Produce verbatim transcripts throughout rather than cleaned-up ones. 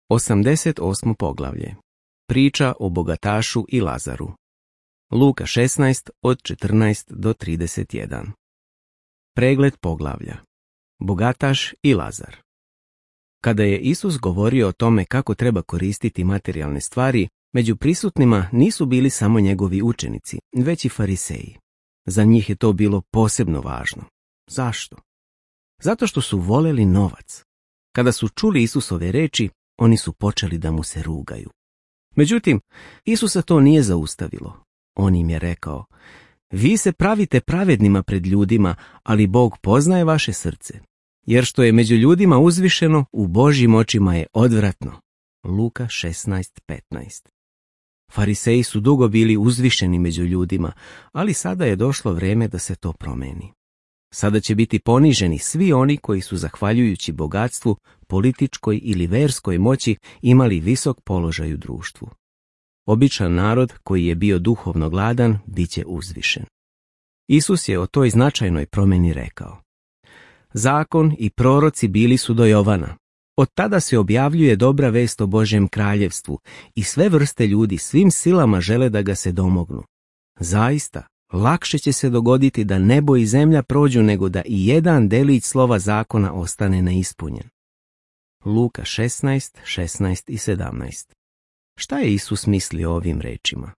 osamdeset osmo poglavlje. Priča o bogatašu i Lazaru. Luka šesnaest od četrnaest do trideset jedan. Pregled poglavlja. Bogataš i Lazar. Kada je Isus govorio o tome kako treba koristiti materijalne stvari, među prisutnima nisu bili samo njegovi učenici, već i fariseji. Za njih je to bilo posebno važno. Zašto? Zato što su voleli novac. Kada su čuli Isusove reči, oni su počeli da mu se rugaju. Međutim, Isusa to nije zaustavilo. On im je rekao: vi se pravite pravednima pred ljudima, ali Bog poznaje vaše srce. Jer što je među ljudima uzvišeno, u Božjim očima je odvratno. Luka šesnaest petnaest. Fariseji su dugo bili uzvišeni među ljudima, ali sada je došlo vrijeme da se to promeni. Sada će biti poniženi svi oni koji su, zahvaljujući bogatstvu, političkoj ili verskoj moći, imali visok položaj u društvu. Običan narod koji je bio duhovno gladan bit će uzvišen. Isus je o toj značajnoj promjeni rekao: zakon i proroci bili su do Jovana. Od tada se objavljuje dobra vest o Božjem kraljevstvu i sve vrste ljudi svim silama žele da ga se domognu. Zaista, lakše će se dogoditi da nebo i zemlja prođu nego da i jedan delić slova zakona ostane neispunjen. Luka šesnaest, šesnaest i sedamnaest. Šta je Isus mislio o ovim rečima?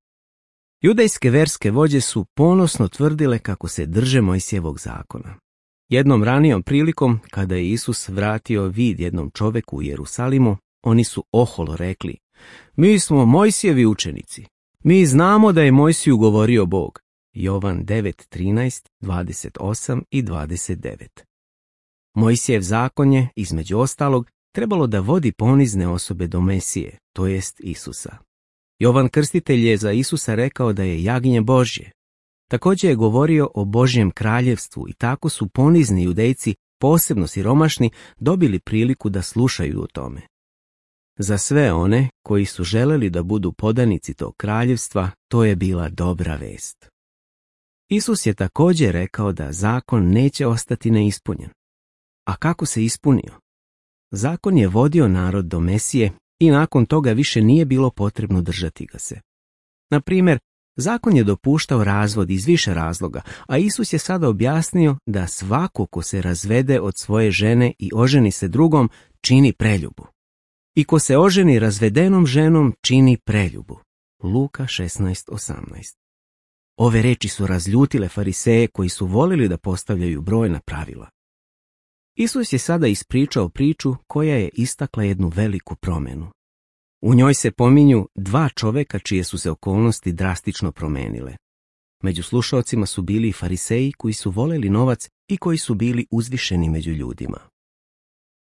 Judejske verske vođe su ponosno tvrdile kako se drže Mojsijevog zakona. Jednom ranijom prilikom, kada je Isus vratio vid jednom čoveku u Jerusalimu, oni su oholo rekli: mi smo Mojsijevi učenici. Mi znamo da je Mojsiju govorio Bog. Jovan devet, trinaest, dvadeset osam i dvadeset devet. Mojsijev zakon je, između ostalog, trebalo da vodi ponizne osobe do Mesije, to jest Isusa. Jovan Krstitelj je za Isusa rekao da je jagnje Božje. Također je govorio o Božjem kraljevstvu i tako su ponizni Judejci, posebno siromašni, dobili priliku da slušaju o tome. Za sve one koji su želeli da budu podanici tog kraljevstva, to je bila dobra vest. Isus je također rekao da zakon neće ostati neispunjen. A kako se ispunio? Zakon je vodio narod do Mesije i nakon toga više nije bilo potrebno držati ga se. Na primjer, zakon je dopuštao razvod iz više razloga, a Isus je sada objasnio da svako ko se razvede od svoje žene i oženi se drugom, čini preljubu. I ko se oženi razvedenom ženom, čini preljubu. Luka šesnaest, osamnaest. Ove reči su razljutile fariseje koji su volili da postavljaju brojna pravila. Isus je sada ispričao priču koja je istakla jednu veliku promjenu. U njoj se pominju dva čoveka čije su se okolnosti drastično promenile. Među slušaocima su bili i fariseji koji su voleli novac i koji su bili uzvišeni među ljudima.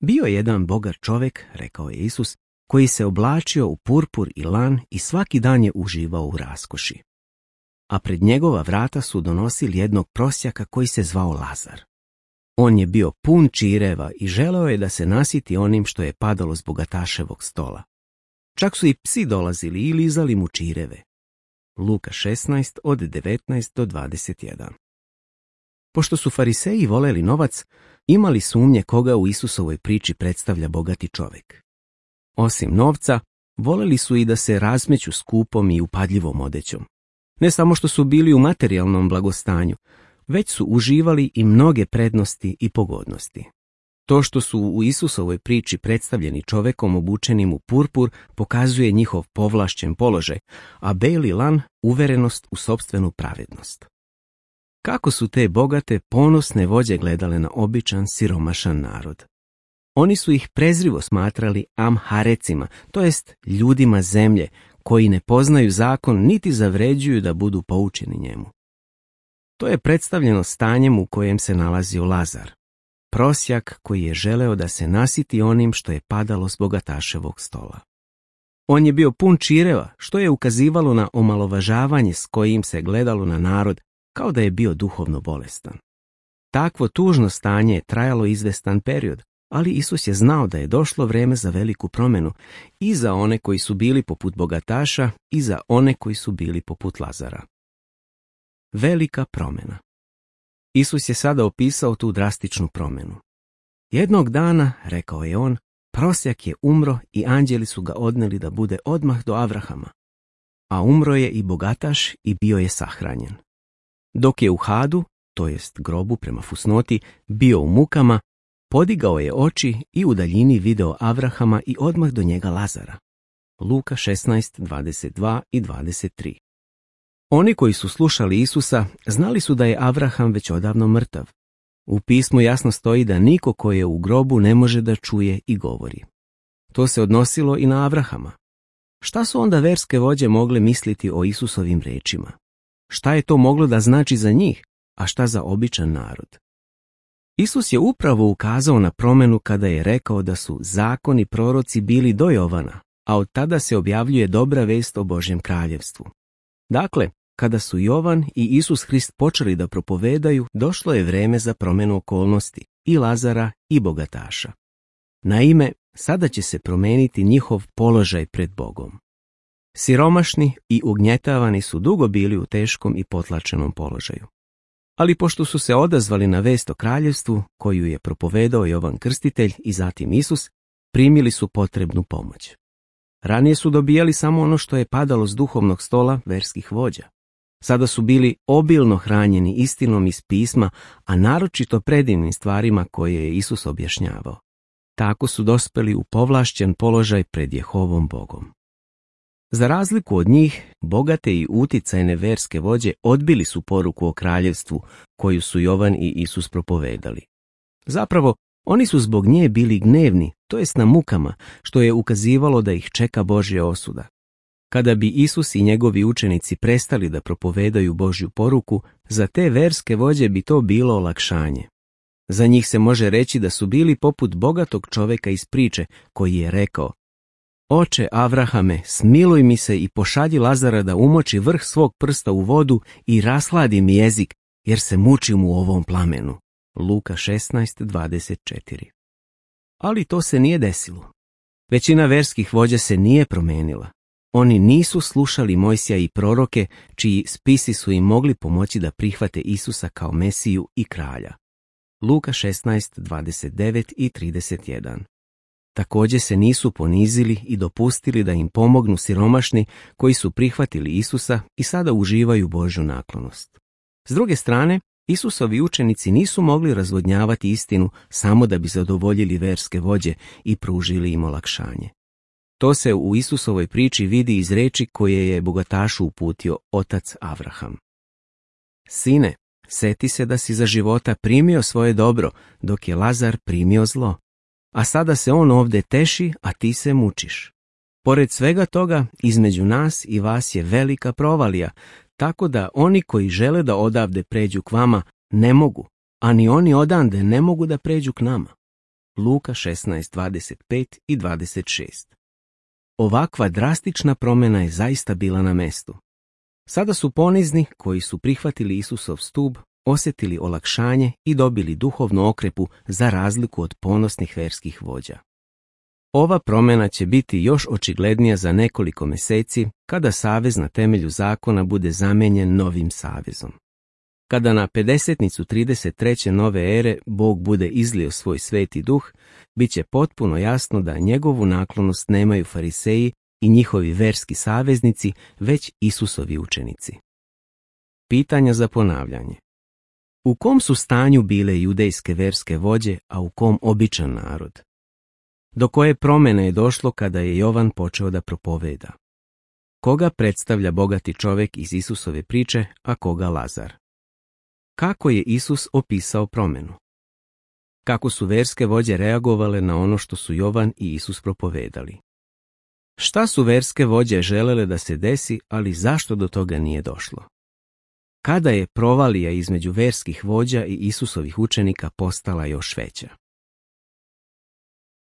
Bio je jedan bogat čovek, rekao je Isus, koji se oblačio u purpur i lan i svaki dan je uživao u raskoši. A pred njegova vrata su donosili jednog prosjaka koji se zvao Lazar. On je bio pun čireva i želeo je da se nasiti onim što je padalo s bogataševog stola. Čak su i psi dolazili i lizali mu čireve. Luka šesnaest od devetnaest do dvadeset jedan. Pošto su fariseji voleli novac, imali sumnje koga u Isusovoj priči predstavlja bogati čovek. Osim novca, voleli su i da se razmeću skupom i upadljivom odećom. Ne samo što su bili u materijalnom blagostanju, već su uživali i mnoge prednosti i pogodnosti. To što su u Isusovoj priči predstavljeni čovekom obučenim u purpur pokazuje njihov povlašćen položaj, a beli lan uverenost u sopstvenu pravednost. Kako su te bogate, ponosne vođe gledale na običan, siromašan narod? Oni su ih prezrivo smatrali amharecima, to jest ljudima zemlje, koji ne poznaju zakon niti zavređuju da budu poučeni njemu. To je predstavljeno stanjem u kojem se nalazio Lazar, prosjak koji je želeo da se nasiti onim što je padalo s bogataševog stola. On je bio pun čireva, što je ukazivalo na omalovažavanje s kojim se gledalo na narod, kao da je bio duhovno bolestan. Takvo tužno stanje je trajalo izvestan period, ali Isus je znao da je došlo vrijeme za veliku promjenu i za one koji su bili poput bogataša i za one koji su bili poput Lazara. Velika promjena. Isus je sada opisao tu drastičnu promjenu. Jednog dana, rekao je on, prosjak je umro i anđeli su ga odneli da bude odmah do Avrahama. A umro je i bogataš i bio je sahranjen. Dok je u Hadu, to jest grobu prema fusnoti, bio u mukama, podigao je oči i u daljini video Avrahama i odmah do njega Lazara. Luka šesnaest, dvadeset dva i dvadeset tri. Oni koji su slušali Isusa znali su da je Avraham već odavno mrtav. U pismu jasno stoji da niko ko je u grobu ne može da čuje i govori. To se odnosilo i na Avrahama. Šta su onda verske vođe mogle misliti o Isusovim rečima? Šta je to moglo da znači za njih, a šta za običan narod? Isus je upravo ukazao na promenu kada je rekao da su zakon i proroci bili do Jovana, a od tada se objavljuje dobra vest o Božjem kraljevstvu. Dakle, kada su Jovan i Isus Hrist počeli da propovedaju, došlo je vreme za promenu okolnosti i Lazara i bogataša. Naime, sada će se promeniti njihov položaj pred Bogom. Siromašni i ugnjetavani su dugo bili u teškom i potlačenom položaju. Ali pošto su se odazvali na vest o kraljevstvu, koju je propovedao Jovan Krstitelj i zatim Isus, primili su potrebnu pomoć. Ranije su dobijali samo ono što je padalo s duhovnog stola verskih vođa. Sada su bili obilno hranjeni istinom iz pisma, a naročito predivnim stvarima koje je Isus objašnjavao. Tako su dospeli u povlašćen položaj pred Jehovom Bogom. Za razliku od njih, bogate i uticajne verske vođe odbili su poruku o kraljevstvu koju su Jovan i Isus propovedali. Zapravo, oni su zbog nje bili gnevni, to jest na mukama, što je ukazivalo da ih čeka Božja osuda. Kada bi Isus i njegovi učenici prestali da propovedaju Božju poruku, za te verske vođe bi to bilo olakšanje. Za njih se može reći da su bili poput bogatog čoveka iz priče koji je rekao: Oče Avrahame, smiluj mi se i pošalji Lazara da umoči vrh svog prsta u vodu i rasladi mi jezik, jer se mučim u ovom plamenu. Luka šesnaest, dvadeset četiri. Ali to se nije desilo. Većina verskih vođa se nije promenila. Oni nisu slušali Mojsija i proroke, čiji spisi su im mogli pomoći da prihvate Isusa kao Mesiju i kralja. Luka šesnaest, dvadeset devet i trideset jedan. Također se nisu ponizili i dopustili da im pomognu siromašni koji su prihvatili Isusa i sada uživaju Božju naklonost. S druge strane, Isusovi učenici nisu mogli razvodnjavati istinu samo da bi zadovoljili verske vođe i pružili im olakšanje. To se u Isusovoj priči vidi iz reči koje je bogatašu uputio otac Avraham. Sine, seti se da si za života primio svoje dobro, dok je Lazar primio zlo. A sada se on ovdje teši, a ti se mučiš. Pored svega toga, između nas i vas je velika provalija, tako da oni koji žele da odavde pređu k vama ne mogu, a ni oni odande ne mogu da pređu k nama. Luka šesnaest, dvadeset pet i dvadeset šest. Ovakva drastična promjena je zaista bila na mestu. Sada su ponizni koji su prihvatili Isusov stub, osjetili olakšanje i dobili duhovnu okrepu za razliku od ponosnih verskih vođa. Ova promjena će biti još očiglednija za nekoliko mjeseci kada savez na temelju zakona bude zamenjen novim savezom. Kada na pedesetnicu trideset treće nove ere Bog bude izlio svoj sveti duh, bit će potpuno jasno da njegovu naklonost nemaju fariseji i njihovi verski saveznici, već Isusovi učenici. Pitanja za ponavljanje. U kom su stanju bile judejske verske vođe, a u kom običan narod? Do koje promjene je došlo kada je Jovan počeo da propoveda? Koga predstavlja bogati čovjek iz Isusove priče, a koga Lazar? Kako je Isus opisao promjenu? Kako su verske vođe reagovale na ono što su Jovan i Isus propovedali? Šta su verske vođe želele da se desi, ali zašto do toga nije došlo? Kada je provalija između verskih vođa i Isusovih učenika postala još veća?